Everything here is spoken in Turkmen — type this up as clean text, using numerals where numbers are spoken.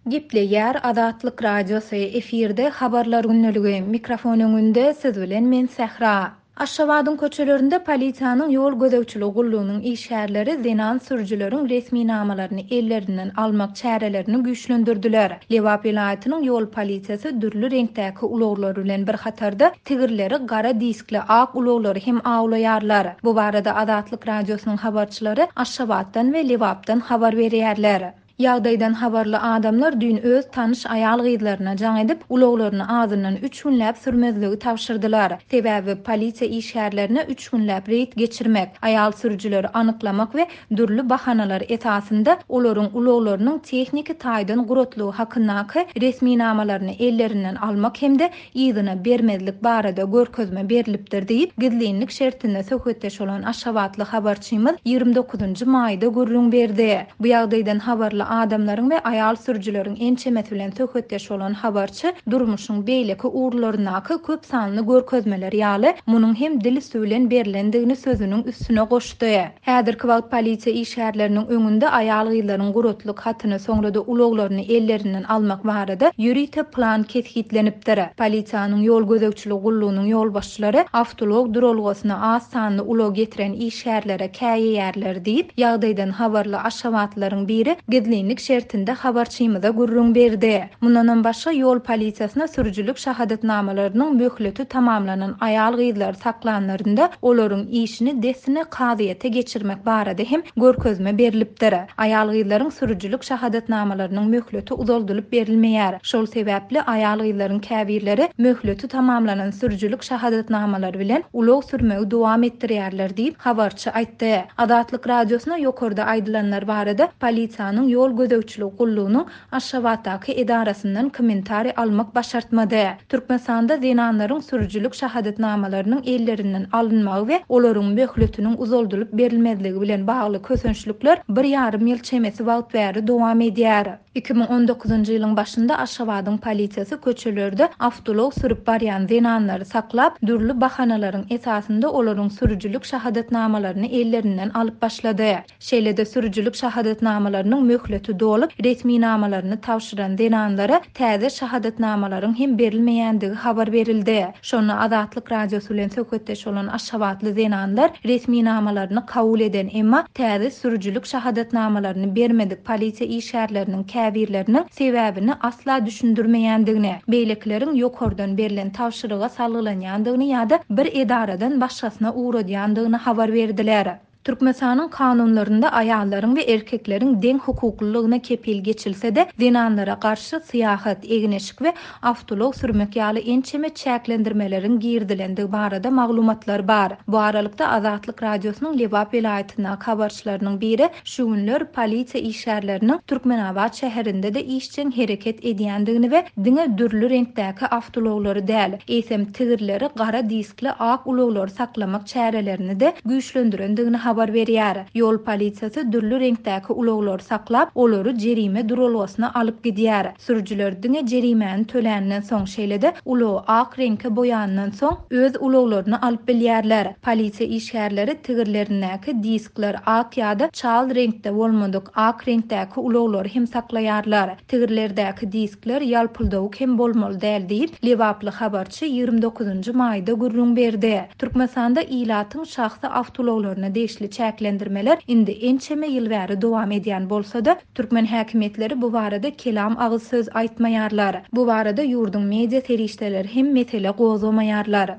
Gepleýär Azatlyk Radiosy, efirde Habarlar gündeligi, mikrofon öňünde siz bilen men Sähra. Aşgabadyň köçelerinde polisiýanyň ýol gözegçiligi gullugynyň işgärleri zenan sürüjileriň resminamalaryny ellerinden almak çärelerini güýçlendirdiler. Lebap welaýatynyň ýol polisiýasy dürli reňkdäki ulaglar bilen bir hatarda tigirleri gara diskli ak ulaglary hem awlaýarlar. Bu barada Azatlyk Radiosynyň habarçylary Aşgabatdan we Lebapdan habar berýärler. Ýagdaýdan habarly adamlar düýn öz tanyş aýal-gyzlaryna jaň edip, ulaglaryny azyndan üç günläp sürmezligi tabşyrdylar. Sebäbi polisiýa işgärlerine üç günläp reýd geçirmek, aýal sürüjileri anyklamak we dürli bahanalar esasynda olaryň ulaglarynyň tehniki taýdan guratlygy hakyndaky resminamalaryny ellerinden almak hem-de yzyna bermezlik barada görkezme berlipdir diýip, gizlinlik şertinde söhbetdeş bolan aşgabatly habarçymyz 29-njy maýda gürrüň berdi. Bu ýagdaýdan habarly adamlaryň we aýal sürüjileriň ençemesi bilen söhbetdeş bolan habarçy durmuşyň beýleki ugurlaryndaky köp sanly görkezmeler ýaly, munuň hem dil üsti bilen berlendigini sözüniň üstüne goşdy. Häzirki wagt polisiýa işgärleriniň öňünde aýal-gyzlaryň guratlyk hatyny, soňra-da ulaglaryny ellerinden almak barada ýörite plan kesgitlenipdir. Polisiýanyň ýol gözegçiligi gullugynyň ýolbaşçylary awtoulag duralgasyna az sanly ulag getiren işgärlere käýeýärler diýip, ýagdaýdan habarly aşgabatlylaryň biri gizlinlik şertinde habarçymyza gürrüň berdi. Mundanam başga, ýol polisiýasyna sürüjilik şahadatnamalarynyň möhleti tamamlanan aýal-gyzlary saklanlarynda, olaryň işini dessine kazyýete geçirmek barada hem görkezme berlipdir. Aýal-gyzlaryň sürüjilik şahadatnamalarynyň möhleti uzaldylyp berilmeýär. Şol sebäpli aýal-gyzlaryň käbirleri möhleti tamamlanan sürüjilik şahadatnamalary bilen ulag sürmegi dowam etdirýärler diýip, habarçy aýtdy. Azatlyk Radiosyna ýokarda aýdylanlar barada polisiýanyň ýol gözegçiligi gullugynyň Aşgabatdaky edarasyndan kommentariý almak başartmady. Türkmenistanda zenanlaryň sürüjilik şahadatnamalarynyň ellerinden alynmagy we olaryň möhletiniň uzaldylyp berilmezligi bilen bagly kösençlikler bir ýarym ýyl çemesi wagt bäri dowam edýär. 2019-njy ýylyň başynda Aşgabadyň polisiýasy köçelerde awtoulag sürüp barýan zenanlary saklap, dürli bahanalaryň esasynda olaryň sürüjilik şahadatnamalaryny ellerinden alyp başlady. Şeýle-de sürüjilik şahadatnamalarynyň möhleti dolup, resminamalaryny tabşyran zenanlara täze şahadatnamalaryň hem berilmeýändigi habar berildi. Şonda Azatlyk Radiosy bilen söhbetdeş bolan aşgabatly zenanlar resminamalaryny kabul eden, emma täze sürüjilik şahadatnamalaryny bermedik polisiýa işgärleriniň käbirleriniň sebäbini asla düşündirmeýändigini, beýlekileriň ýokardan berlen tabşyryga salgylanýandygyny ýa-da bir edaradan başgasyna ugradýandygyny habar berdiler. Türkmenistanyň kanunlarynda aýallaryň we erkekleriň deň hukuklylygyna kepil geçilse-de, zenanlara garşy syýahat, egin-eşik we awtoulag sürmek ýaly ençeme çäklendirmeleriň girizilendigi barada maglumatlar bar. Bu aralykda, Azatlyk Radiosynyň Lebap welaýatyndaky habarçylarynyň biri şu günler polisiýa işgärleriniň Türkmenabat şäherinde-de işjeň hereket edýändigini we diňe dürli reňkdäki awtoulaglary däl, eýsem tigirleri gara diskli ak ulaglary saklamak çärelerini-de güýçlendirendigini habar berýär. Ýol polisiýasy dürli reňkdäki ulaglary saklap, olary jerime duralgasyna alyp gidýär. Sürüjiler diňe jerimäni töländen soň, şeýle-de ulagy ak reňke boýandan soň öz ulaglaryny alyp bilýärler. Polisiýa işgärleri tigirlerindäki diskler ak ýa-da çal reňkde bolmadyk ak reňkdäki ulaglary hem saklaýarlar. Tigirlerdäki diskler ýalpyldawuk hem bolmaly däl diýip, lebaply habarçy 29-njy maýda gürrüň berdi. Türkmenistanda ilatyň şahsy awtoulaglaryna degişli çäklendirmeler indi ençeme ýyl bäri dowam edýän bolsa-da, türkmen häkimiýetleri bu barada kelam agyz söz aýtmaýarlar. Bu barada ýurduň media serişdeleri hem mesele gozgamaýarlar.